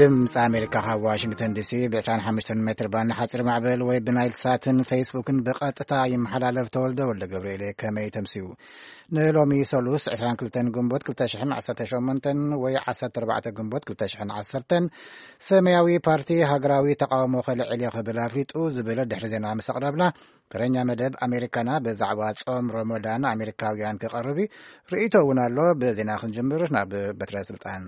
ድምፂ ኣሜሪካ ካብ ዋሽንግተን ዲሲ ብ ዕስራን ሓሙሽተን ሜትር ባንድ ሓፂር ማዕበል ወይ ብናይል ሳትን ፌስቡክን ብቐጥታ ይመሓላለፍ። ተወልደ ወልደ ገብርኤል ከመይ ተምስዩ? ንሎሚ ሰሉስ ዕስራን ክልተን ግንቦት ክልተ ሽሕን ዓሰርተ ሸሞንተን ወይ ዓሰርተ ኣርባዕተ ግንቦት ክልተ ሽሕን ዓሰርተን ሰማያዊ ፓርቲ ሃገራዊ ተቃውሞ ከልዕል እየ ክብል ኣፍሊጡ ዝብል ድሕሪ ዜና ምስ ኣቕረብና፣ ተረኛ መደብ ኣሜሪካና ብዛዕባ ጾም ረመዳን ኣሜሪካውያን ክቐርብ እዩ። ርእይቶ እውን ኣሎ። ብዜና ክንጅምር ናብ በትረ ስልጣን።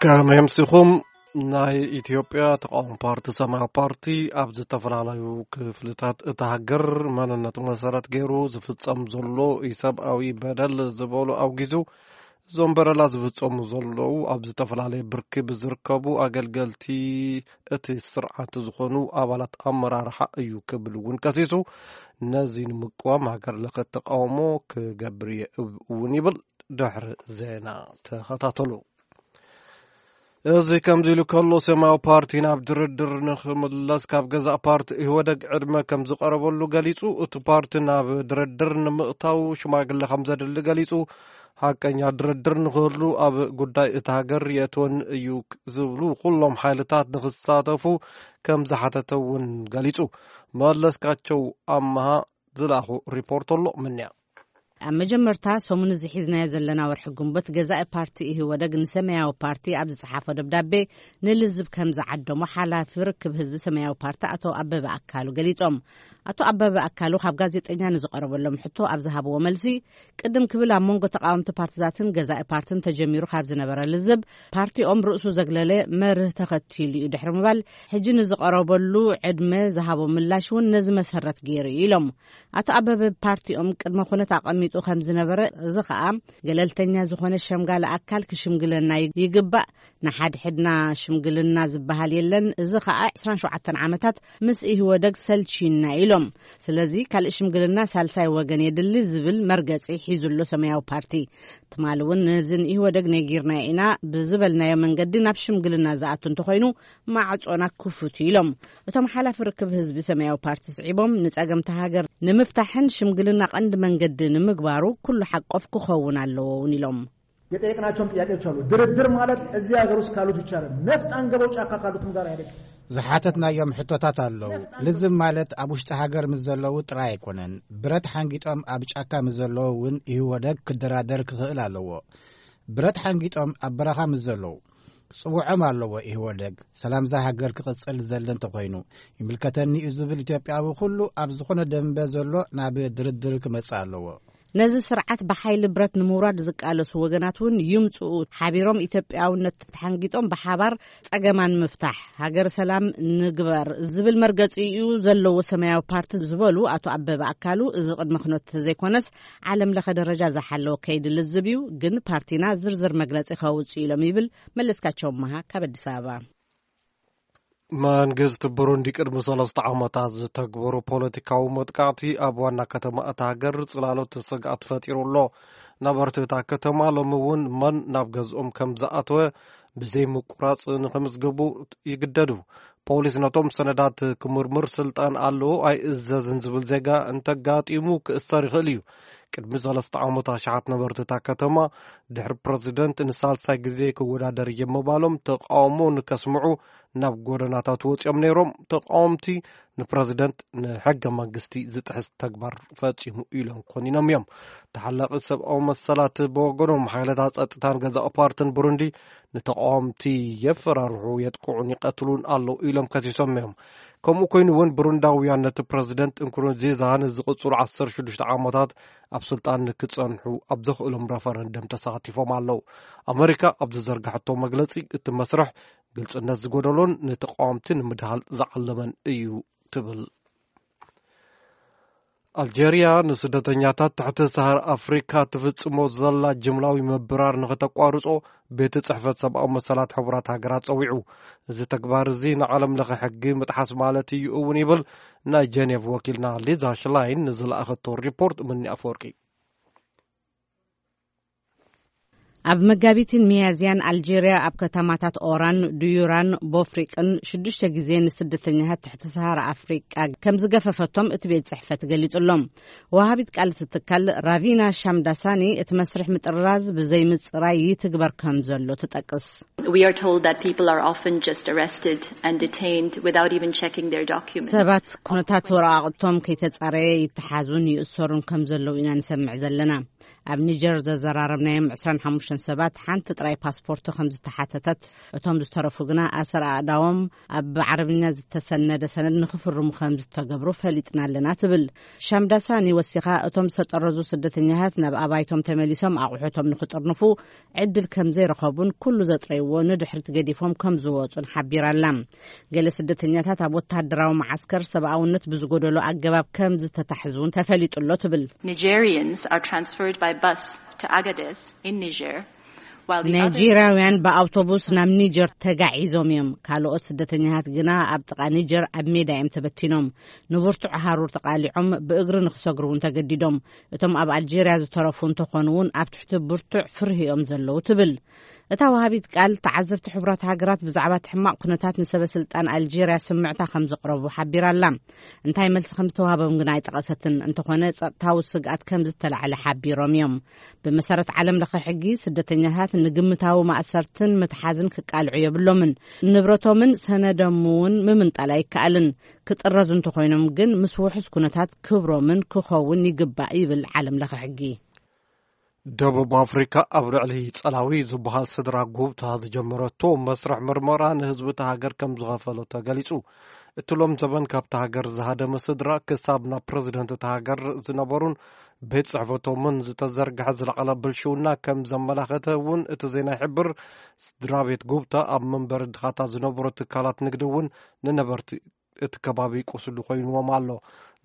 ከመይ ኣምሲኹም? ናይ ኢትዮጵያ ተቃዋሚ ፓርቲ ሰማያዊ ፓርቲ ኣብ ዝተፈላለዩ ክፍልታት እታ ሃገር መንነቱ መሰረት ገይሩ ዝፍጸም ዘሎ ኢሰብኣዊ በደል ዝበሉ ኣውጊዙ፣ እዞም በደላት ዝፍጸሙ ዘለዉ ኣብ ዝተፈላለየ ብርኪ ብዝርከቡ ኣገልገልቲ እቲ ስርዓት ዝኾኑ ኣባላት ኣመራርሓ እዩ ክብል እውን ከሲሱ፣ ነዚ ንምቅዋም ሃገር ለኸ ተቃውሞ ክገብር እየ እውን ይብል። ድሕሪ ዜና ተኸታተሉ። እዚ ከምዚ ኢሉ ከሎ፣ ሰማያዊ ፓርቲ ናብ ድርድር ንኽምለስ ካብ ገዛእ ፓርቲ ኢህወደግ ዕድመ ከም ዝቐረበሉ ገሊጹ፣ እቲ ፓርቲ ናብ ድርድር ንምእታው ሽማግለ ከም ዘድሊ ገሊጹ፣ ሓቀኛ ድርድር ንኽህሉ ኣብ ጉዳይ እታ ሃገር የእትወን እዩ ዝብሉ ኩሎም ሓይልታት ንኽሳተፉ ከም ዝሓተተ እውን ገሊጹ። መለስካቸው ኣመሃ ዝለኣኹ ሪፖርት ኣሎ። ምንያ ኣብ መጀመርታ ሰሙን እዚ ሒዝናዮ ዘለና ወርሒ ግንቦት፣ ገዛኢ ፓርቲ ኢህወደግ ንሰማያዊ ፓርቲ ኣብ ዝጸሓፎ ደብዳቤ፣ ንልዝብ ከም ዝዓደሞ ሓላፊ ርክብ ህዝቢ ሰማያዊ ፓርቲ ኣቶ ኣበበ ኣካሉ ገሊጾም። ኣቶ ኣበበ ኣካሉ ካብ ጋዜጠኛ ንዝቐረበሎም ሕቶ ኣብ ዝሃብዎ መልሲ፣ ቅድም ክብል ኣብ መንጎ ተቃወምቲ ፓርቲታትን ገዛኢ ፓርትን ተጀሚሩ ካብ ዝነበረ ልዝብ፣ ፓርቲኦም ርእሱ ዘግለለ መርህ ተኸቲሉ እዩ ድሕሪ ምባል፣ ሕጂ ንዝቐረበሉ ዕድመ ዝሃቦ ምላሽ እውን ነዚ መሰረት ገይሩ እዩ ኢሎም። ኣቶ ኣበበ ፓርቲኦም ቅድመ ኩነት ኣቐሚጡ ከም ዝነበረ፣ እዚ ኸኣ ገለልተኛ ዝኾነ ሸምጋሊ ኣካል ክሽምግለና ይግባእ፣ ንሓድሕድና ሽምግልና ዝበሃል የለን፣ እዚ ኸኣ ዕስራን ሸውዓተን ዓመታት ምስ ኢህወደግ ሰልችዩና ኢሎም። ስለዚ ካልእ ሽምግልና ሳልሳይ ወገን የድሊ ዝብል መርገጺ ሒዙ ኣሎ ሰማያዊ ፓርቲ። ትማሊ እውን ነዚ ንኢህወደግ ነጊርናዮ ኢና ብዝበልናዮ መንገዲ ናብ ሽምግልና ዝኣቱ እንተኾይኑ ማዕጾና ክፉት እዩ ኢሎም። እቶም ሓላፊ ርክብ ህዝቢ ሰማያዊ ፓርቲ ስዒቦም፣ ንጸገምቲ ሃገር ንምፍታሕን ሽምግልና ቀንዲ መንገዲ ንምግባሩ ኩሉ ሓቆፍ ክኸውን ኣለዎ እውን ኢሎም። የጠየቅናቸውም ጥያቄዎች አሉ። ድርድር ማለት እዚህ ሀገር ውስጥ ካሉት ብቻ አይደለም፣ ነፍጥ አንገበው ጫካ ካሉትም ጋር አይደለም። ዝሓተትናዮም ሕቶታት ኣለዉ። ልዝብ ማለት ኣብ ውሽጢ ሃገር ምስ ዘለዉ ጥራይ ኣይኮነን። ብረት ሓንጊጦም ኣብ ጫካ ምስ ዘለዉ እውን ኢህወደግ ክደራደር ክኽእል ኣለዎ። ብረት ሓንጊጦም ኣብ በረኻ ምስ ዘለዉ ጽውዖም ኣለዎ። ኢህወደግ ሰላምዛ ሃገር ክቕጽል ዝደሊ እንተኾይኑ፣ ይምልከተኒ እዩ ዝብል ኢትዮጵያዊ ኩሉ ኣብ ዝኾነ ደንበ ዘሎ ናብ ድርድር ክመጽእ ኣለዎ። ነዚ ስርዓት ብሓይሊ ብረት ንምውራድ ዝቃለሱ ወገናት እውን ይምጽኡ፣ ሓቢሮም ኢትዮጵያውነት ተሓንጊጦም ብሓባር ጸገማ ንምፍታሕ ሃገር ሰላም ንግበር ዝብል መርገጺ እዩ ዘለዎ ሰማያዊ ፓርቲ ዝበሉ ኣቶ ኣበበ ኣካሉ፣ እዚ ቅድመ ኩነት ዘይኮነስ ዓለም ለኸ ደረጃ ዝሓለወ ከይዲ ልዝብ እዩ፣ ግን ፓርቲና ዝርዝር መግለጺ ከውጽእ ኢሎም ይብል መለስካቸው መሃ ካብ ኣዲስ ኣበባ። መንግስቲ ብሩንዲ ቅድሚ ሰለስተ ዓመታት ዝተግበሩ ፖለቲካዊ መጥቃዕቲ ኣብ ዋና ከተማ እታ ሃገር ጽላሎት ስግኣት ፈጢሩ ኣሎ። ነበርቲ እታ ከተማ ሎሚ እውን መን ናብ ገዝኦም ከም ዝኣተወ ብዘይ ምቁራጽ ንኽምዝግቡ ይግደዱ። ፖሊስ ነቶም ሰነዳት ክምርምር ስልጣን ኣለዎ ኣይእዘዝን ዝብል ዜጋ እንተጋጢሙ ክእሰር ይኽእል እዩ። ቅድሚ ሰለስተ ዓመት ኣሽሓት ነበርቲ እታ ከተማ ድሕሪ ፕረዚደንት ንሳልሳይ ግዜ ክወዳደር እየ ምባሎም ተቃውሞ ንከስምዑ ናብ ጎደናታት ወፂኦም ነይሮም። ተቃወምቲ ንፕረዚደንት ንሕገ መንግስቲ ዝጥሕስ ተግባር ፈፂሙ ኢሎም ኮኒኖም እዮም። ተሓላቂ ሰብኣዊ መሰላት ብወገኖም ሓይልታት ፀጥታን ገዛእ ፓርትን ብሩንዲ ንተቃወምቲ የፈራርሑ፣ የጥቅዑን ይቀትሉን ኣለዉ ኢሎም ከሲሶም እዮም። ከምኡ ኮይኑ እውን ብሩንዳውያን ነቲ ፕረዚደንት እንኩሩንዚዛ ንዝቕፅሉ ዓሰርተ ሽዱሽተ ዓመታት ኣብ ስልጣን ንክፀንሑ ኣብ ዘኽእሎም ረፈረንደም ተሳቲፎም ኣለዉ። ኣመሪካ ኣብ ዝዘርጋሐቶ መግለፂ እቲ መስርሕ ግልፅነት ዝጎደሎን ንተቃወምቲ ንምድሃል ዝዓለመን እዩ ትብል። ኣልጀርያ ንስደተኛታት ትሕቲ ሰሃር ኣፍሪካ ትፍጽሞ ዘላ ጅምላዊ ምብራር ንኽተቋርጾ ቤት ጽሕፈት ሰብኣዊ መሰላት ሕቡራት ሃገራት ጸዊዑ። እዚ ተግባር እዚ ንዓለም ለኸ ሕጊ ምጥሓስ ማለት እዩ እውን ይብል ናይ ጀኔቭ ወኪልና ሊዛ ሽላይን ንዝለኣኸቶ ሪፖርት ምኒ ኣፈወርቂ። ኣብ መጋቢትን ሚያዝያን ኣልጄርያ ኣብ ከተማታት ኦራን፣ ዱዩራን ቦፍሪቅን ሽዱሽተ ግዜ ንስደተኛታት ትሕቲ ሰሃራ ኣፍሪቃ ከም ዝገፈፈቶም እቲ ቤት ጽሕፈት ገሊጹሎም። ወሃቢት ቃል እቲ ትካል ራቪና ሻምዳሳኒ እቲ መስርሕ ምጥራዝ ብዘይ ምጽራይ ይትግበር ከም ዘሎ ትጠቅስ። We are told that people are often just arrested and detained without even checking their documents. ሰባት ኩነታት ወረቓቕቶም ከይተጻረየ ይተሓዙን ይእሰሩን ከም ዘለዉ ኢና ንሰምዕ ዘለና። ኣብ ኒጀር ዘዘራረብናዮም ዕስራን ሓሙሽተን ሰባት ሓንቲ ጥራይ ፓስፖርት ከም ዝተሓተተት፣ እቶም ዝተረፉ ግና ኣሰር ኣእዳዎም ኣብ ዓረብኛ ዝተሰነደ ሰነድ ንክፍርሙ ከም ዝተገብሩ ፈሊጥና ኣለና ትብል። ሻምዳሳኒ ወሲኻ እቶም ዝተጠረዙ ስደተኛታት ናብ ኣባይቶም ተመሊሶም ኣቑሑቶም ንክጥርንፉ ዕድል ከም ዘይረኸቡን ኩሉ ዘጥረይዎ ንድሕሪት ገዲፎም ከም ዝወጹን ሓቢራ ኣላ። ገለ ስደተኛታት ኣብ ወተሃደራዊ መዓስከር ሰብኣውነት ብዝጎደሎ ኣገባብ ከም ዝተታሕዙ እውን ተፈሊጡ ኣሎ ትብል። Nigerians are transferred by bus to Agadez in Niger, while the others ናይጄርያውያን ብኣውቶቡስ ናብ ኒጀር ተጋዒዞም እዮም። ካልኦት ስደተኛታት ግና ኣብ ጥቓ ኒጀር ኣብ ሜዳ እዮም ተበቲኖም። ንብርቱዕ ሃሩር ተቓሊዖም ብእግሪ ንክሰግሩ እውን ተገዲዶም። እቶም ኣብ ኣልጄርያ ዝተረፉ እንተኾኑ እውን ኣብ ትሕቲ ብርቱዕ ፍርሂ እዮም ዘለዉ ትብል። እታ ወሃቢት ቃል፣ ተዓዘብቲ ሕቡራት ሃገራት ብዛዕባ እቲ ሕማቕ ኩነታት ንሰበ ስልጣን ኣልጄርያ ስምዕታ ከም ዘቕረቡ ሓቢራ ኣላ። እንታይ መልሲ ከም ዝተዋህቦም ግን ኣይጠቐሰትን። እንተኾነ ጸጥታዊ ስግኣት ከም ዝተላዕለ ሓቢሮም እዮም። ብመሰረት ዓለም ለኸ ሕጊ፣ ስደተኛታት ንግምታዊ ማእሰርትን ምትሓዝን ክቃልዑ የብሎምን። ንብረቶምን ሰነዶምን እውን ምምንጣል ኣይከኣልን። ክጥረዙ እንተኾይኖም ግን ምስ ውሑስ ኩነታት ክብሮምን ክኸውን ይግባእ ይብል ዓለም ለኸ ሕጊ። ደቡብ ኣፍሪካ ኣብ ልዕሊ ጸላዊ ዝበሃል ስድራ ጉብታ ዝጀመረቶ መስርሕ ምርመራ ንህዝቢ እታ ሃገር ከም ዝኸፈሎ ተገሊጹ። እቲ ሎም ዘበን ካብታ ሃገር ዝሃደመ ስድራ ክሳብ ናብ ፕረዚደንት እታ ሃገር ዝነበሩን ቤት ጽሕፈቶምን ዝተዘርግሐ ዝለዓለ ብልሽውና ከም ዘመላኸተ እውን እቲ ዜና ይሕብር። ስድራ ቤት ጉብታ ኣብ መንበሪ ድኻታት ዝነበሩ ትካላት ንግዲ እውን ንነበርቲ እቲ ከባቢ ቁስሉ ኮይንዎም ኣሎ።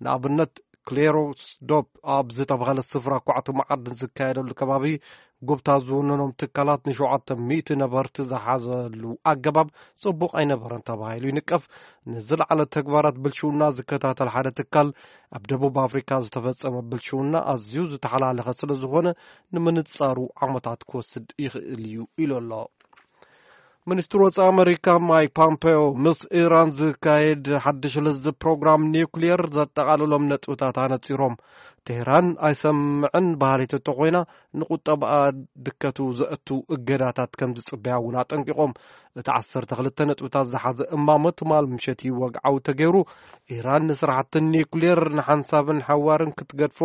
ንኣብነት ክሌሮስዶፕ ኣብ ዝተባህለ ስፍራ ኳዕቲ መዓድን ዝካየደሉ ከባቢ ጉብታ ዝውንኖም ትካላት ንሸውዓተ ሚእቲ ነበርቲ ዝሓዘሉ ኣገባብ ጽቡቕ ኣይነበረን ተባሂሉ ይንቀፍ። ንዝለዓለ ተግባራት ብልሽውና ዝከታተል ሓደ ትካል ኣብ ደቡብ ኣፍሪካ ዝተፈጸመ ብልሽውና ኣዝዩ ዝተሓላለኸ ስለ ዝኾነ ንምንጻሩ ዓመታት ክወስድ ይኽእል እዩ ኢሉ ኣሎ። ሚኒስትር ወጻኢ ኣመሪካ ማይክ ፖምፔዮ ምስ ኢራን ዝካየድ ሓድሽ ልዝብ ፕሮግራም ኒውክሊየር ዘጠቓልሎም ነጥብታት ኣነጺሮም። ቴህራን ኣይሰምዕን በሃሊት እንተኾይና ንቁጠባኣ ድከቱ ዘእቱ እገዳታት ከም ዝጽበያ እውን ኣጠንቂቖም። እቲ ዓሰርተ ክልተ ነጥብታት ዝሓዘ እማመ ትማል ምሸት እዩ ወግዓዊ ተገይሩ። ኢራን ንስራሕቲ ኒውክሊየር ንሓንሳብን ሓዋርን ክትገድፎ፣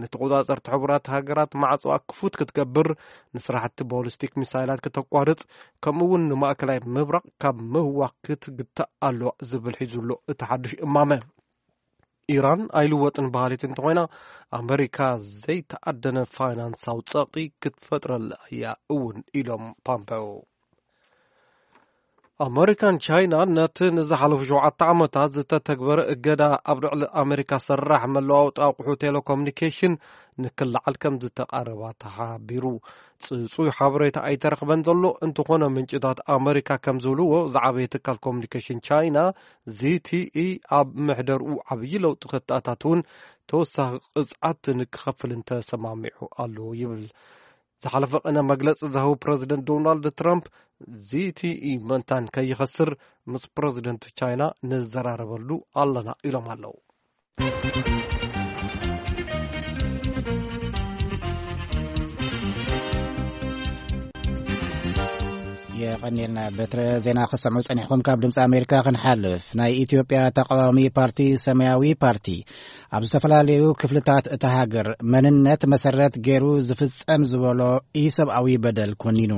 ንተቆጻጸርቲ ሕቡራት ሃገራት ማዕጾኣ ክፉት ክትገብር፣ ንስራሕቲ ቦሊስቲክ ሚሳይላት ክተቋርጽ፣ ከምኡ እውን ንማእከላይ ምብራቕ ካብ ምህዋኽ ክትግታእ ኣለዋ ዝብል ሒዙ ኣሎ እቲ ሓድሽ እማመ። ኢራን ኣይልወጥን በሃሊት እንተኾይና ኣመሪካ ዘይተኣደነ ፋይናንሳዊ ጸቕጢ ክትፈጥረላ እያ እውን ኢሎም ፓምፔዮ። ኣመሪካን ቻይና ነቲ ንዝሓለፉ ሸውዓተ ዓመታት ዝተተግበረ እገዳ ኣብ ልዕሊ ኣመሪካ ሰራሕ መለዋወጢ ኣቑሑ ቴሌኮሙኒኬሽን ንክለዓል ከም ዝተቓረባ ተሓቢሩ። ጽጹይ ሓበሬታ ኣይተረኽበን ዘሎ። እንተኾነ ምንጭታት ኣመሪካ ከም ዝብልዎ ዝዓበየ ትካል ኮሙኒኬሽን ቻይና ዚቲኢ ኣብ ምሕደርኡ ዓብዪ ለውጢ ከተኣታትውን ተወሳኺ ቅጽዓት ንክኸፍልን ተሰማሚዑ ኣሎ ይብል። ዝሓለፈ ቅነ መግለጺ ዝሃቡ ፕረዚደንት ዶናልድ ትራምፕ ዚቲኢ መንታን ከይኸስር ምስ ፕረዚደንት ቻይና ንዘራረበሉ ኣለና ኢሎም ኣለዉ። የቐኒልና። በትረ ዜና ክሰምዑ ጸኒሕኩም ካብ ድምፂ ኣሜሪካ ክንሓልፍ፣ ናይ ኢትዮጵያ ተቃዋሚ ፓርቲ ሰማያዊ ፓርቲ ኣብ ዝተፈላለዩ ክፍልታት እታ ሃገር መንነት መሰረት ገይሩ ዝፍጸም ዝበሎ ኢሰብኣዊ በደል ኮኒኑ።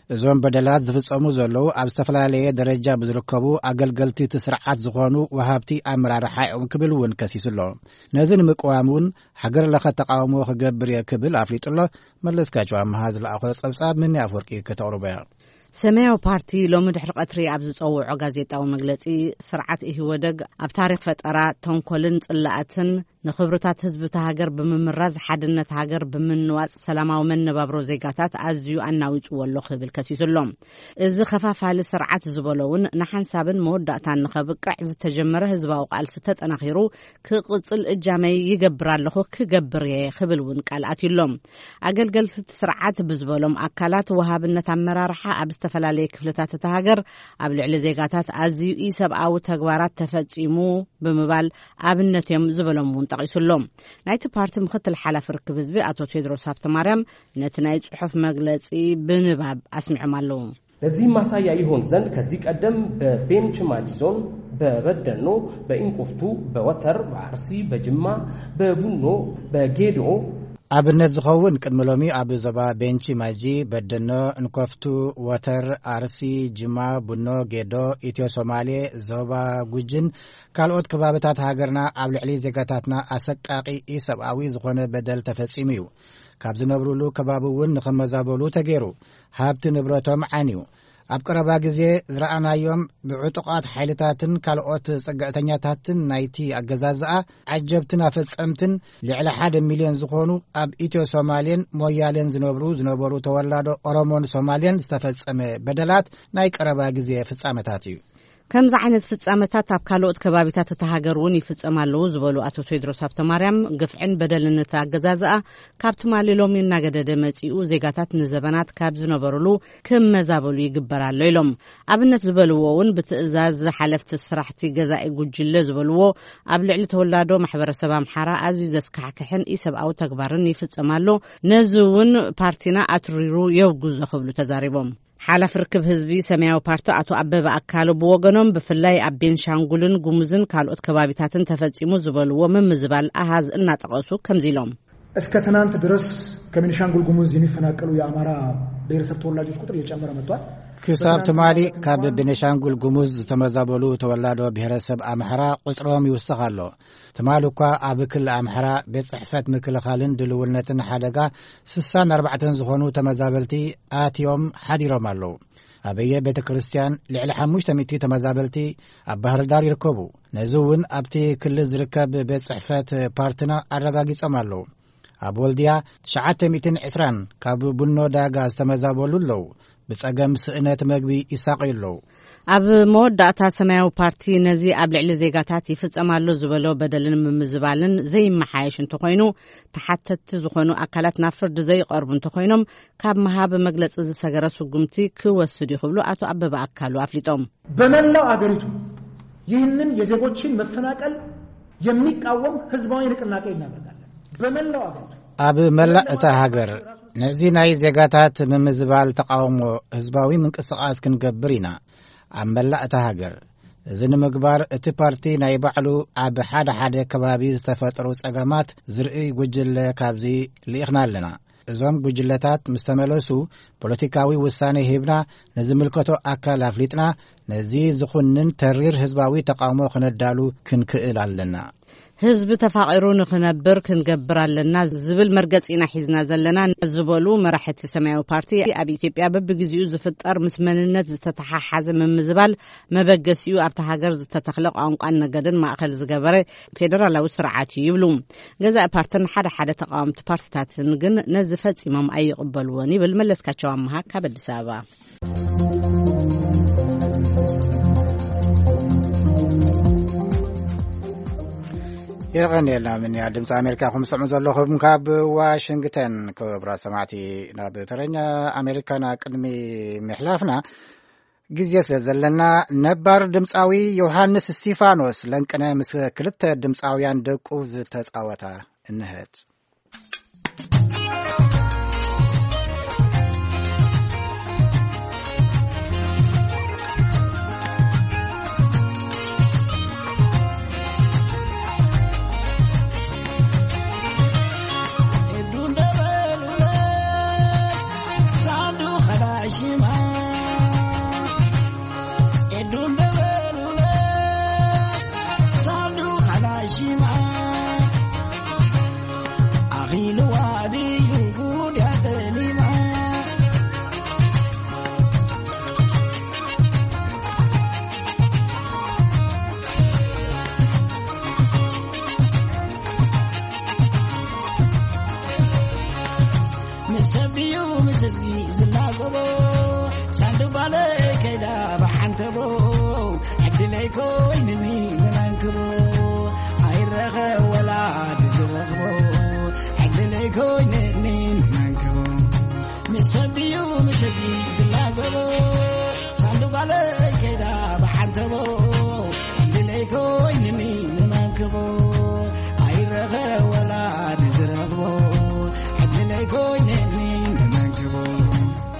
እዞም በደላት ዝፍጸሙ ዘለዉ ኣብ ዝተፈላለየ ደረጃ ብዝርከቡ ኣገልገልቲ እቲ ስርዓት ዝኾኑ ወሃብቲ ኣመራርሓ እዮም ክብል እውን ከሲሱ ኣሎ። ነዚ ንምቅዋም እውን ሃገር ለኸ ተቃውሞ ክገብር እየ ክብል ኣፍሊጡ ኣሎ። መለስካቸው ኣምሃ ዝለኣኾ ጸብጻብ ምኒ ኣፍወርቂ ከተቕርቦ እያ። ሰማያዊ ፓርቲ ሎሚ ድሕሪ ቀትሪ ኣብ ዝጸውዖ ጋዜጣዊ መግለጺ፣ ስርዓት ኢህወደግ ኣብ ታሪኽ ፈጠራ፣ ተንኮልን ጽላኣትን ንኽብርታት ህዝቢ እታ ሃገር ብምምራዝ፣ ሓድነት ሃገር ብምንዋጽ፣ ሰላማዊ መነባብሮ ዜጋታት ኣዝዩ ኣናዊጽዎ ኣሎ ክብል ከሲሱ ኣሎ። እዚ ኸፋፋሊ ስርዓት ዝበሎ እውን ንሓንሳብን መወዳእታን ንኸብቅዕ ዝተጀመረ ህዝባዊ ቃልሲ ተጠናኺሩ ክቕጽል እጃመይ ይገብር ኣለኹ፣ ክገብር እየ ክብል እውን ቃል ኣትዩ ኣሎ። ኣገልገልቲ እቲ ስርዓት ብዝበሎም ኣካላት ወሃብነት ኣመራርሓ ኣብ ዝተፈላለየ ክፍልታት እታ ሃገር ኣብ ልዕሊ ዜጋታት ኣዝዩ ኢሰብኣዊ ተግባራት ተፈጺሙ ብምባል ኣብነት እዮም ዝበሎም እውን ጠቒሱ ኣሎ። ናይቲ ፓርቲ ምክትል ሓላፊ ርክብ ህዝቢ ኣቶ ቴድሮስ ሃብተማርያም ነቲ ናይ ጽሑፍ መግለጺ ብንባብ ኣስሚዖም ኣለዉ። ለዚህም ማሳያ ይሆን ዘንድ ከዚህ ቀደም በቤንች ማጂ ዞን፣ በበደኖ፣ በኢንቁፍቱ፣ በወተር፣ በአርሲ፣ በጅማ፣ በቡኖ፣ በጌዶ፣ ኣብነት ዝኸውን ቅድሚ ሎሚ ኣብ ዞባ ቤንች ማጂ፣ በደኖ፣ እንኮፍቱ፣ ወተር፣ ኣርሲ፣ ጅማ፣ ቡኖ፣ ጌዶ፣ ኢትዮ ሶማሌ፣ ዞባ ጉጅን ካልኦት ከባብታት ሃገርና ኣብ ልዕሊ ዜጋታትና ኣሰቃቂ ኢሰብኣዊ ዝኾነ በደል ተፈጺሙ እዩ። ካብ ዝነብሩሉ ከባቢ እውን ንኽመዛበሉ ተገይሩ። ሃብቲ ንብረቶም ዓንዩ። ኣብ ቀረባ ግዜ ዝረኣናዮም ብዕጡቓት ሓይልታትን ካልኦት ጽግዕተኛታትን ናይቲ ኣገዛዝኣ ዓጀብትን ኣፈጸምትን ልዕሊ ሓደ ሚልዮን ዝኾኑ ኣብ ኢትዮ ሶማሌን ሞያሌን ዝነብሩ ዝነበሩ ተወላዶ ኦሮሞን ሶማሌን ዝተፈጸመ በደላት ናይ ቀረባ ግዜ ፍጻመታት እዩ። ከምዚ ዓይነት ፍጻመታት ኣብ ካልኦት ከባቢታት እታ ሃገር እውን ይፍጸም ኣለዉ ዝበሉ ኣቶ ቴድሮስ ሃብተማርያም፣ ግፍዕን በደልን እቲ ኣገዛዝኣ ካብ ትማሊ ሎሚ እናገደደ መጺኡ፣ ዜጋታት ንዘበናት ካብ ዝነበሩሉ ክመዛበሉ ይግበር ኣሎ ኢሎም። ኣብነት ዝበልዎ እውን ብትእዛዝ ሓለፍቲ ስራሕቲ ገዛኢ ጉጅለ ዝበልዎ ኣብ ልዕሊ ተወላዶ ማሕበረሰብ ኣምሓራ ኣዝዩ ዘስካሕክሕን ኢሰብኣዊ ተግባርን ይፍጸም ኣሎ። ነዚ እውን ፓርቲና ኣትሪሩ የውግዞ ክብሉ ተዛሪቦም። ሓላፊ ርክብ ህዝቢ ሰማያዊ ፓርቲ ኣቶ ኣበበ ኣካሉ ብወገኖም፣ ብፍላይ ኣብ ቤንሻንጉልን ጉሙዝን ካልኦት ከባቢታትን ተፈጺሙ ዝበልዎ ምምዝባል ኣሃዝ እናጠቐሱ ከምዚ ኢሎም። እስከ ትናንት ድረስ ከቤኒሻንጉል ጉሙዝ የሚፈናቀሉ የአማራ ብሔረሰብ ተወላጆች ቁጥር እየጨመረ መጥቷል። ክሳብ ትማሊ ካብ ቤኒሻንጉል ጉሙዝ ዝተመዛበሉ ተወላዶ ብሔረሰብ ኣምሓራ ቁጽሮም ይውስኽ ኣሎ። ትማሊ እኳ ኣብ ክልል ኣምሓራ ቤት ጽሕፈት ምክልኻልን ድልውነትን ሓደጋ ስሳን ኣርባዕተን ዝኾኑ ተመዛበልቲ ኣትዮም ሓዲሮም ኣለዉ። ኣበየ ቤተ ክርስቲያን ልዕሊ ሓሙሽተ ሚእቲ ተመዛበልቲ ኣብ ባህር ዳር ይርከቡ። ነዚ እውን ኣብቲ ክልል ዝርከብ ቤት ጽሕፈት ፓርቲና ኣረጋጊጾም ኣለዉ። ኣብ ወልድያ ትሽዓተ ሚእትን ዕስራን ካብ ቡኖ ዳጋ ዝተመዛበሉ ኣለዉ። ብጸገም ስእነት መግቢ ይሳቐዩ ኣለዉ። ኣብ መወዳእታ ሰማያዊ ፓርቲ ነዚ ኣብ ልዕሊ ዜጋታት ይፍጸም ኣሎ ዝበሎ በደልን ምምዝባልን ዘይመሓየሽ እንተኾይኑ፣ ተሓተትቲ ዝኾኑ ኣካላት ናብ ፍርዲ ዘይቐርቡ እንተኾይኖም፣ ካብ መሃብ መግለጺ ዝሰገረ ስጉምቲ ክወስድ እዩ ክብሉ ኣቶ ኣበበ ኣካሉ ኣፍሊጦም። በመላው አገሪቱ ይህንን የዜጎችን መፈናቀል የሚቃወም ህዝባዊ ንቅናቄ እናደርጋለን። በመላው አገሪቱ ኣብ መላእ እታ ሃገር ነዚ ናይ ዜጋታት ምምዝባል ተቃውሞ ህዝባዊ ምንቅስቃስ ክንገብር ኢና። ኣብ መላእ እታ ሃገር እዚ ንምግባር እቲ ፓርቲ ናይ ባዕሉ ኣብ ሓደ ሓደ ከባቢ ዝተፈጥሩ ጸገማት ዝርእይ ጉጅለ ካብዚ ልኢኽና ኣለና። እዞም ጉጅለታት ምስ ተመለሱ ፖለቲካዊ ውሳኔ ሂብና ንዝምልከቶ ኣካል ኣፍሊጥና ነዚ ዝኹንን ተሪር ህዝባዊ ተቃውሞ ክነዳሉ ክንክእል ኣለና። ህዝቢ ተፋቒሩ ንኽነብር ክንገብር ኣለና ዝብል መርገጺ ኢና ሒዝና ዘለና ዝበሉ መራሕቲ ሰማያዊ ፓርቲ፣ ኣብ ኢትዮጵያ በብግዜኡ ዝፍጠር ምስ መንነት ዝተተሓሓዘ ምምዝባል መበገሲኡ ኣብታ ሃገር ዝተተኽለ ቋንቋን ነገድን ማእኸል ዝገበረ ፌደራላዊ ስርዓት እዩ ይብሉ። ገዛኢ ፓርትን ሓደ ሓደ ተቃወምቲ ፓርትታትን ግን ነዚ ፈጺሞም ኣይቕበልዎን ይብል መለስካቸው ኣምሃ ካብ ኣዲስ ኣበባ። የቐንየልና ምንያ ድምፂ ኣሜሪካ። ከም ትሰምዑ ዘለኹም ካብ ዋሽንግተን። ክቡራት ሰማዕቲ፣ ናብ ተረኛ ኣሜሪካና ቅድሚ ምሕላፍና ግዜ ስለ ዘለና፣ ነባር ድምፃዊ ዮሃንስ እስቲፋኖስ ለንቅነ ምስ ክልተ ድምፃውያን ደቁ ዝተፃወታ እንሀት። ዕድለይ ኮይንኒ ንመንክቦ ኣይረኸ ወላዲ ዝረኽቦ ዕድለይ ኮይንኒ ንመንክቦ ንሰብ ድዩ ምስ ህዝቢ ዝላዘቦ ሳንዱቕ ኣለይ ከይዳ ብዓንተቦ ዕድለይ ኮይንኒ ንመንክቦ ኣይረኸ ወላዲ ዝረኽቦ ዕድለይ ኮይንኒ ንመንክቦ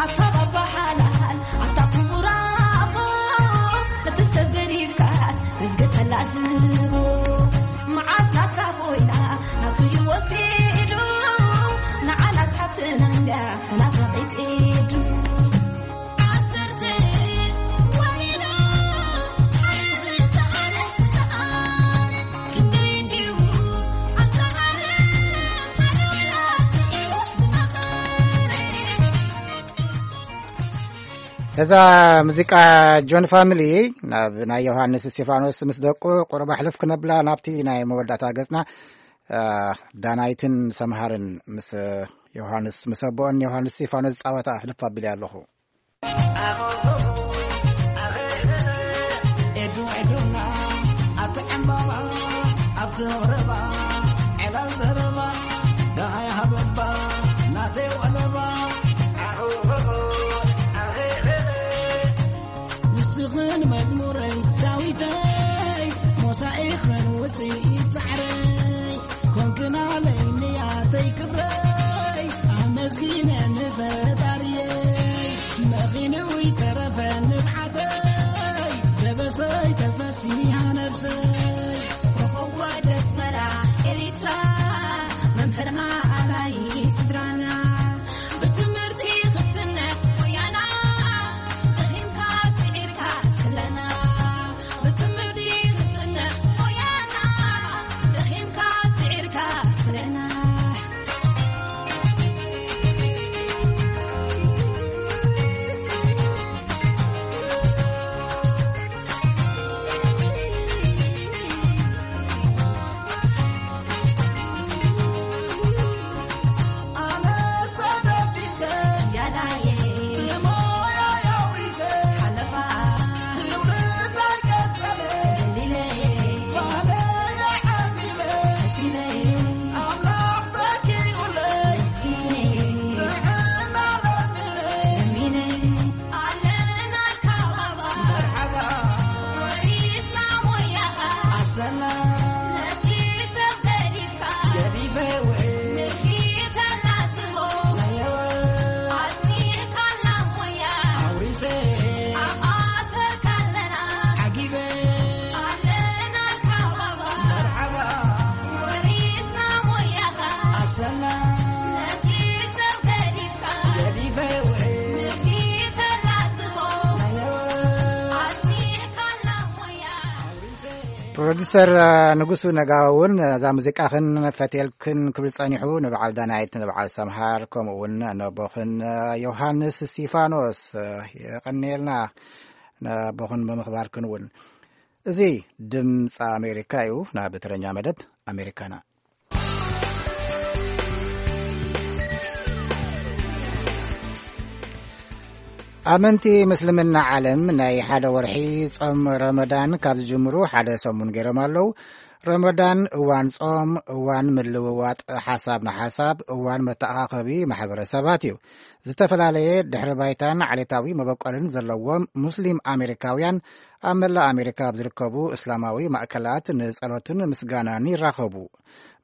ኣታ ባባ ሓላል ኣታ ክቡር ኣቦ እቲ ሰብ ገዲፍካስ መዝገብ ተላዝቦ መዓስ ናትካ ኮይና ናቱ እዩ ወሲዱ ንዓናስ ሓብትና እንዳ ተናፋቒት ኢዱ ዓሰርተ ወሊዳ ሓንቲ ዝሰኣነ ዝሰኣነ ክንደይ እንድዩ ኣብዛ ዓለም ሓደራ ስዒቡ ዝመቐረ እዛ ሙዚቃ ጆን ፋሚሊ ናብ ናይ ዮሃንስ እስቴፋኖስ ምስ ደቁ ቁሩብ ኣሕልፍ ክነብላ ናብቲ ናይ መወዳእታ ገጽና። ዳናይትን ሰምሃርን ምስ ዮሃንስ ምስ ኣቦኦን ዮሃንስ እስቴፋኖስ ዝጻወታ ኣሕልፍ ኣቢለ ኣለኹ። ኤዱ ኤዱና ኣብቲ ዕምባባ ኣብቲ ወረባ ዕላል ዘረባ ደሃይ ሃበባ ናተይ ወለባ ንስኽን መዝሙረይ ዳዊተይ ሞሳኢኽን ውፅኢት ፃዕረይ ኮንክናለይ ንያተይ ክብረይ ኣመስጊነ ንፈጣርየይ መኺንዊ ተረፈ ንብዓተይ ደበሰይ ተፈሲሃ ነብሰይ ኮኸብ ኣስመራ ኤሪትራ መምህርና ኣራይ ስድራና ብትምህርቲ ክስነ ሞያና ደኺምካ ጽዒርካ ስለና ብትምህርቲ ክስነ ሞያና ደኺምካ ጽዒርካ ስለና ፕሮዲሰር ንጉሱ ነጋዊ እውን እዛ ሙዚቃኽን ፈትየልክን ክብል ጸኒሑ ንበዓል ዳናይት ንበዓል ሰምሃር ከምኡ እውን ነቦኽን ዮሃንስ እስቲፋኖስ የቐንየልና። ነቦኽን ብምኽባርክን እውን እዚ ድምፂ ኣሜሪካ እዩ። ናብ ትረኛ መደብ ኣሜሪካና ኣመንቲ ምስልምና ዓለም ናይ ሓደ ወርሒ ጾም ረመዳን ካብ ዝጅምሩ ሓደ ሰሙን ገይሮም ኣለዉ። ረመዳን እዋን ጾም፣ እዋን ምልውዋጥ ሓሳብ ንሓሳብ፣ እዋን መተኣኻኸቢ ማሕበረሰባት እዩ። ዝተፈላለየ ድሕሪ ባይታን ዓሌታዊ መበቆልን ዘለዎም ሙስሊም ኣሜሪካውያን ኣብ መላእ ኣሜሪካ ኣብ ዝርከቡ እስላማዊ ማእከላት ንጸሎትን ምስጋናን ይራኸቡ።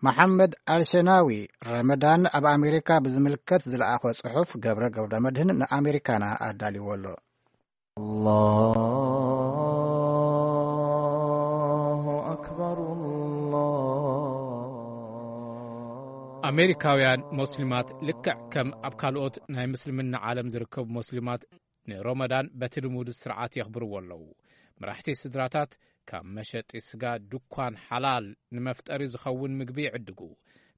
መሓመድ ኣልሸናዊ ረመዳን ኣብ ኣሜሪካ ብዝምልከት ዝለኣኾ ጽሑፍ ገብረ ገብረ መድህን ንኣሜሪካና ኣዳልዎ ኣሎ። الله أكبر الله ኣሜሪካውያን ሞስሊማት ልክዕ ከም ኣብ ካልኦት ናይ ምስልምና ዓለም ዝርከቡ ሞስሊማት ንሮመዳን በቲ ልሙድ ስርዓት የኽብርዎ ኣለዉ። መራሕቲ ስድራታት ካብ መሸጢ ስጋ ድኳን ሓላል ንመፍጠሪ ዝኸውን ምግቢ ይዕድጉ።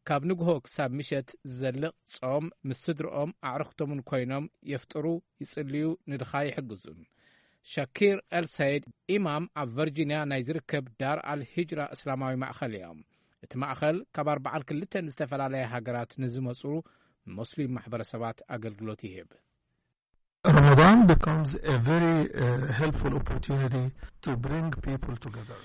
ካብ ንግሆ ክሳብ ምሸት ዝዘልቕ ጾም ምስ ስድርኦም ኣዕርኽቶምን ኮይኖም የፍጥሩ፣ ይጽልዩ፣ ንድኻ ይሕግዙን። ሸኪር ኤል ሰይድ ኢማም ኣብ ቨርጂንያ ናይ ዝርከብ ዳር ኣል ሂጅራ እስላማዊ ማእኸል እዮም። እቲ ማእኸል ካብ ኣርባዓን ክልተን ዝተፈላለያ ሃገራት ንዝመጹ ሞስሊም ማሕበረሰባት ኣገልግሎት ይህብ። Ramadan becomes a very uh, helpful opportunity to bring people together.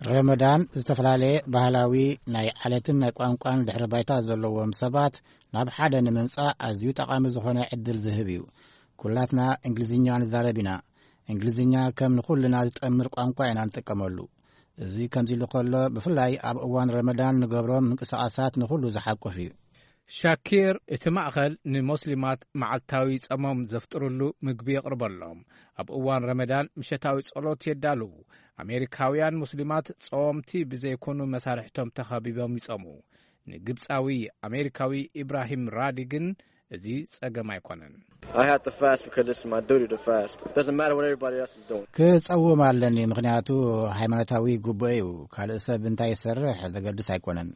ረመዳን ዝተፈላለየ ባህላዊ ናይ ዓለትን ናይ ቋንቋን ድሕሪ ባይታ ዘለዎም ሰባት ናብ ሓደ ንምምጻእ ኣዝዩ ጠቓሚ ዝኾነ ዕድል ዝህብ እዩ። ኩላትና እንግሊዝኛ ንዛረብ ኢና። እንግሊዝኛ ከም ንኹልና ዝጠምር ቋንቋ ኢና ንጥቀመሉ። እዚ ከምዚ ኢሉ ከሎ፣ ብፍላይ ኣብ እዋን ረመዳን ንገብሮም ምንቅስቓሳት ንኹሉ ዝሓቁፍ እዩ። ሻኪር፣ እቲ ማእኸል ንሞስሊማት መዓልታዊ ጸሞም ዘፍጥርሉ ምግቢ የቕርበሎም። ኣብ እዋን ረመዳን ምሸታዊ ጸሎት የዳልዉ። ኣሜሪካውያን ሙስሊማት ጸወምቲ ብዘይኮኑ መሳርሕቶም ተኸቢቦም ይጸሙ። ንግብጻዊ ኣሜሪካዊ ኢብራሂም ራዲ ግን እዚ ጸገም ኣይኮነን። I have to fast because it's my duty to fast. It doesn't matter what everybody else is doing. ክጸውም ኣለኒ፣ ምኽንያቱ ሃይማኖታዊ ግቡእ እዩ። ካልእ ሰብ እንታይ ይሰርሕ ዘገድስ ኣይኮነን።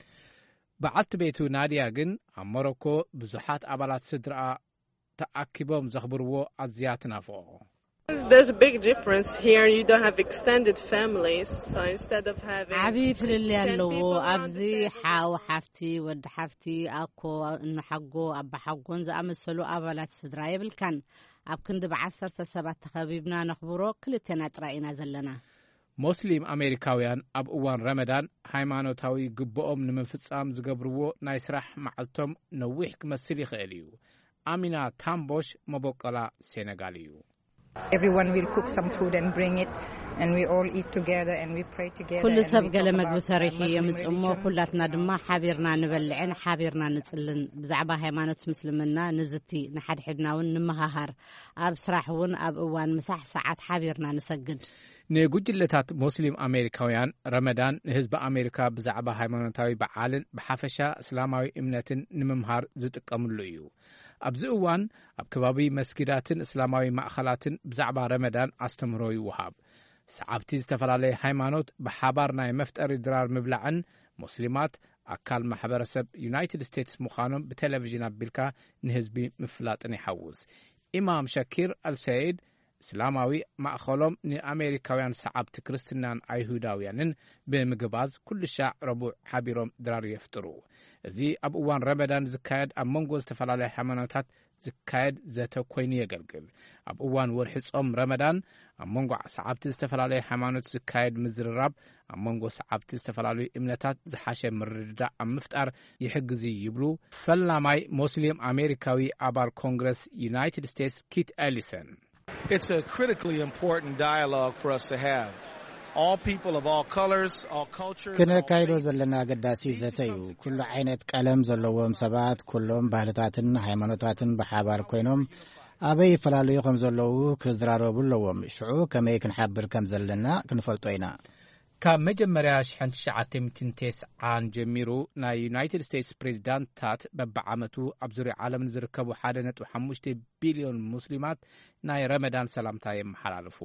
በዓልቲ ቤቱ ናድያ ግን ኣብ ሞሮኮ ብዙሓት ኣባላት ስድራኣ ተኣኪቦም ዘኽብርዎ ኣዝያ ትናፍቖ። There's a big difference here. You don't have extended families, so instead of having ዓቢ ፍልልይ ኣለዎ። ኣብዚ ሓው ሓፍቲ፣ ወዲ ሓፍቲ፣ ኣኮ፣ እንሓጎ፣ ኣባሓጎን ዝኣመሰሉ ኣባላት ስድራ የብልካን። ኣብ ክንዲ ብዓሰርተ ሰባት ተኸቢብና ነኽብሮ ክልቴና ጥራይ ኢና ዘለና። ሞስሊም ኣሜሪካውያን ኣብ እዋን ረመዳን ሃይማኖታዊ ግብኦም ንምፍጻም ዝገብርዎ ናይ ስራሕ መዓልቶም ነዊሕ ክመስል ይኽእል እዩ። ኣሚና ታምቦሽ መበቆላ ሴነጋል እዩ። Everyone will cook some food and bring it, and we all eat together and we pray together ኩሉ and ሰብ we ገለ talk መግቢ about ሰሪሑ Muslim የምጽሞ፣ religion. ኩላትና ድማ ሓቢርና ንበልዕን ሓቢርና ንጽልን። ብዛዕባ ሃይማኖት ምስልምና ንዝቲ፣ ንሓድሕድና እውን ንመሃሃር። ኣብ ስራሕ እውን ኣብ እዋን ምሳሕ ሰዓት ሓቢርና ንሰግድ። ንጉጅለታት ሞስሊም ኣሜሪካውያን ረመዳን ንህዝቢ ኣሜሪካ ብዛዕባ ሃይማኖታዊ በዓልን ብሓፈሻ እስላማዊ እምነትን ንምምሃር ዝጥቀምሉ እዩ። ኣብዚ እዋን ኣብ ከባቢ መስጊዳትን እስላማዊ ማእኸላትን ብዛዕባ ረመዳን ኣስተምህሮ ይወሃብ። ሰዓብቲ ዝተፈላለየ ሃይማኖት ብሓባር ናይ መፍጠሪ ድራር ምብላዕን ሞስሊማት ኣካል ማሕበረሰብ ዩናይትድ ስቴትስ ምዃኖም ብቴሌቪዥን ኣቢልካ ንህዝቢ ምፍላጥን ይሓውስ። ኢማም ሸኪር ኣልሰይድ እስላማዊ ማእኸሎም ንኣሜሪካውያን ሰዓብቲ ክርስትናን ኣይሁዳውያንን ብምግባዝ ኩሉ ሻዕ ረቡዕ ሓቢሮም ድራር የፍጥሩ። እዚ ኣብ እዋን ረመዳን ዝካየድ ኣብ መንጎ ዝተፈላለያ ሃይማኖታት ዝካየድ ዘተ ኮይኑ የገልግል። ኣብ እዋን ወርሒ ጾም ረመዳን ኣብ መንጎ ሰዓብቲ ዝተፈላለየ ሃይማኖት ዝካየድ ምዝርራብ ኣብ መንጎ ሰዓብቲ ዝተፈላለዩ እምነታት ዝሓሸ ምርድዳእ ኣብ ምፍጣር ይሕግዝ እዩ ይብሉ ፈላማይ ሞስሊም ኣሜሪካዊ ኣባል ኮንግረስ ዩናይትድ ስቴትስ ኪት ኤሊሰን። It's a critically important dialogue for us to have. All people of all colors, all cultures, all ክነካይዶ ዘለና ኣገዳሲ ዘተ እዩ። ኩሉ ዓይነት ቀለም ዘለዎም ሰባት፣ ኩሎም ባህልታትን ሃይማኖታትን ብሓባር ኮይኖም ኣበይ ይፈላለዩ ከም ዘለዉ ክዝራረቡ ኣለዎም። ሽዑ ከመይ ክንሓብር ከም ዘለና ክንፈልጦ ኢና። ካብ መጀመርያ ሽሕን ትሽዓተ ሚእትን ተስዓን ጀሚሩ ናይ ዩናይትድ ስቴትስ ፕሬዚዳንትታት በብዓመቱ ኣብ ዙርያ ዓለም ንዝርከቡ ሓደ ነጥቢ ሓሙሽተ ቢልዮን ሙስሊማት ናይ ረመዳን ሰላምታ የመሓላልፉ።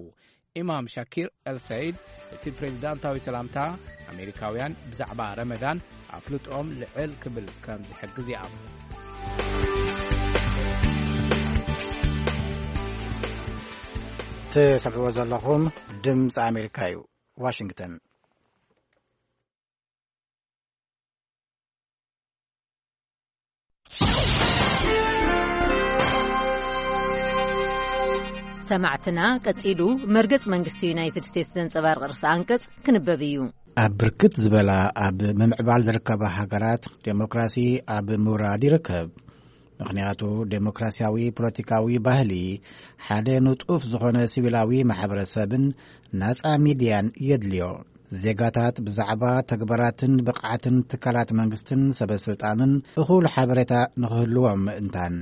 ኢማም ሻኪር ኤልሰይድ እቲ ፕሬዚዳንታዊ ሰላምታ ኣሜሪካውያን ብዛዕባ ረመዳን ኣፍልጦም ልዕል ክብል ከም ዝሕግዝ ይኣምን። ትሰምዕዎ ዘለኹም ድምፂ ኣሜሪካ እዩ። ዋሽንግተን። ሰማዕትና፣ ቀጺሉ መርገጽ መንግስቲ ዩናይትድ ስቴትስ ዘንጸባርቕ ርእሰ ኣንቀጽ ክንበብ እዩ። ኣብ ብርክት ዝበላ ኣብ ምምዕባል ዝርከባ ሃገራት ዴሞክራሲ ኣብ ምውራድ ይርከብ። ምኽንያቱ ዴሞክራሲያዊ ፖለቲካዊ ባህሊ ሓደ ንጡፍ ዝኾነ ሲቪላዊ ማሕበረሰብን ናጻ ሚድያን የድልዮ። ዜጋታት ብዛዕባ ተግባራትን ብቕዓትን ትካላት መንግስትን ሰበስልጣንን እኹል ሓበሬታ ንኽህልዎም ምእንታን።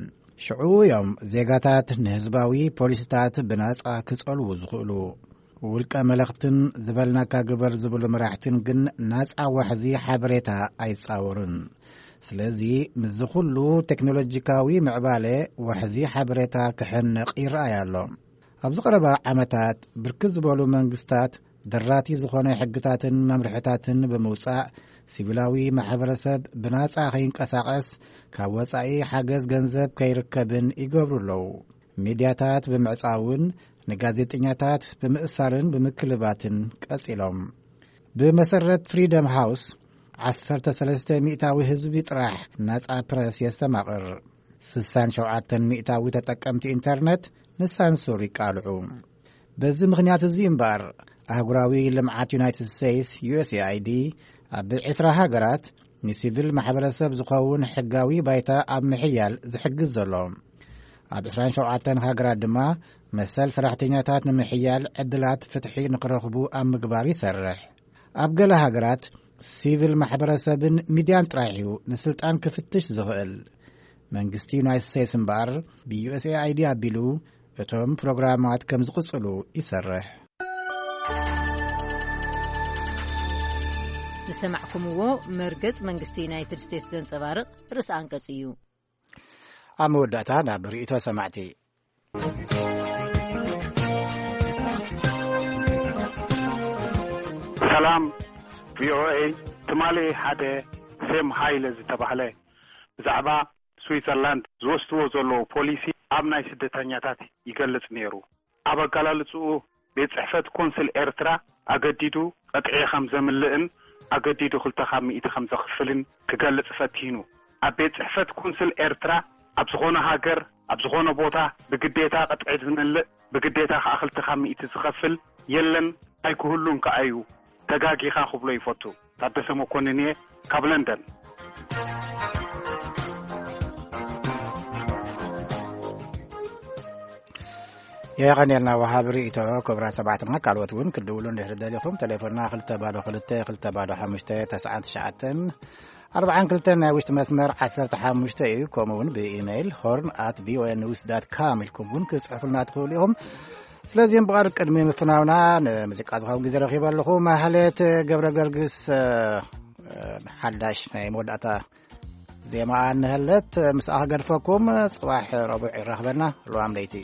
ሽዑ እዮም ዜጋታት ንህዝባዊ ፖሊሲታት ብናጻ ክጸልዉ ዝኽእሉ። ውልቀ መለኽትን ዝበልናካ ግበር ዝብሉ መራሕትን ግን ናጻ ዋሕዚ ሓበሬታ ኣይጻወሩን። ስለዚ ምስዚ ኩሉ ቴክኖሎጂካዊ ምዕባለ ዋሕዚ ሓበሬታ ክሕነቕ ይረኣይ ኣሎ። ኣብዚ ቀረባ ዓመታት ብርክት ዝበሉ መንግስታት ደራቲ ዝኾነ ሕግታትን መምርሕታትን ብምውጻእ ሲቪላዊ ማሕበረሰብ ብናጻ ከይንቀሳቐስ ካብ ወጻኢ ሓገዝ ገንዘብ ከይርከብን ይገብሩ ኣለዉ። ሚድያታት ብምዕጻውን ንጋዜጠኛታት ብምእሳርን ብምክልባትን ቀጺሎም። ብመሰረት ፍሪደም ሃውስ ዓሰርተ ሰለስተ ሚእታዊ ህዝቢ ጥራሕ ናጻ ፕረስ የስተማቕር። ስሳን ሸውዓተን ሚእታዊ ተጠቀምቲ ኢንተርነት ንሳንሱር ይቃልዑ። በዚ ምኽንያት እዚ እምበኣር፣ ኣህጉራዊ ልምዓት ዩናይትድ ስቴትስ፣ ዩ ኤስ ኤ ኣይ ዲ፣ ኣብ ዕስራ ሃገራት ንሲቪል ማሕበረሰብ ዝኸውን ሕጋዊ ባይታ ኣብ ምሕያል ዝሕግዝ ዘሎ። ኣብ ዕስራን ሸውዓተን ሃገራት ድማ መሰል ሰራሕተኛታት ንምሕያል ዕድላት ፍትሒ ንክረኽቡ ኣብ ምግባር ይሰርሕ። ኣብ ገለ ሃገራት፣ ሲቪል ማሕበረሰብን ሚድያን ጥራሕ እዩ ንስልጣን ክፍትሽ ዝኽእል። መንግስቲ ዩናይትድ ስቴትስ እምበኣር፣ ብ ዩ ኤስ ኤ ኣይ ዲ ኣቢሉ እቶም ፕሮግራማት ከም ዝቕጽሉ ይሰርሕ። ዝሰማዕኩምዎ መርገጽ መንግስቲ ዩናይትድ ስቴትስ ዘንጸባርቕ ርእሰ ኣንቀጽ እዩ። ኣብ መወዳእታ ናብ ርእይቶ ሰማዕቲ። ሰላም ቪ ኦ ኤ፣ ትማሊ ሓደ ሴም ሃይለ ዝተባህለ ብዛዕባ ስዊዘርላንድ ዝወስድዎ ዘለዉ ፖሊሲ ኣብ ናይ ስደተኛታት ይገልጽ ነይሩ። ኣብ ኣገላልጽኡ፣ ቤት ጽሕፈት ኮንስል ኤርትራ ኣገዲዱ ቅጥዒ ከም ዘምልእን ኣገዲዱ ክልተ ካብ ሚእቲ ከም ዘኽፍልን ክገልጽ ፈቲኑ። ኣብ ቤት ጽሕፈት ኮንስል ኤርትራ ኣብ ዝኾነ ሃገር፣ ኣብ ዝኾነ ቦታ ብግዴታ ቅጥዒ ዝምልእ፣ ብግዴታ ከኣ ክልተ ካብ ሚእቲ ዝኸፍል የለን፣ ኣይክህሉን ከኣ እዩ። ተጋጊኻ ክብሎ ይፈቱ። ታደሰ መኮንን እየ ካብ ለንደን። የቐንየልና ወሃቢ ርእይቶ። ክቡራት ሰማዕትና፣ ካልኦት እውን ክትድውሉ እንድሕር ደሊኹም፣ ቴሌፎንና ክልተ ባዶ ክልተ፣ ክልተ ባዶ ሓሙሽተ፣ ተስዓን ትሽዓተን ኣርባዓን ክልተን፣ ናይ ውሽጢ መስመር ዓሰርተ ሓሙሽተ እዩ። ከምኡ እውን ብኢሜይል ሆርን ኣት ቪ ኦ ኤ ኒውስ ዳት ካም ኢልኩም እውን ክትጽሕፉልና ትኽእሉ ኢኹም። ስለዚህም ብቐር ቅድሚ ምፍናውና ንሙዚቃ ዝኸውን ግዜ ረኺበ ኣለኹ። ማህሌት ገብረ ገርግስ፣ እ፣ እ፣ ሓዳሽ ናይ መወዳእታ ዜማ እንሀለት ምስኣ ክገድፈኩም። ጽባሕ ረቡዕ ይራኽበና። ሉዋም ለይቲ።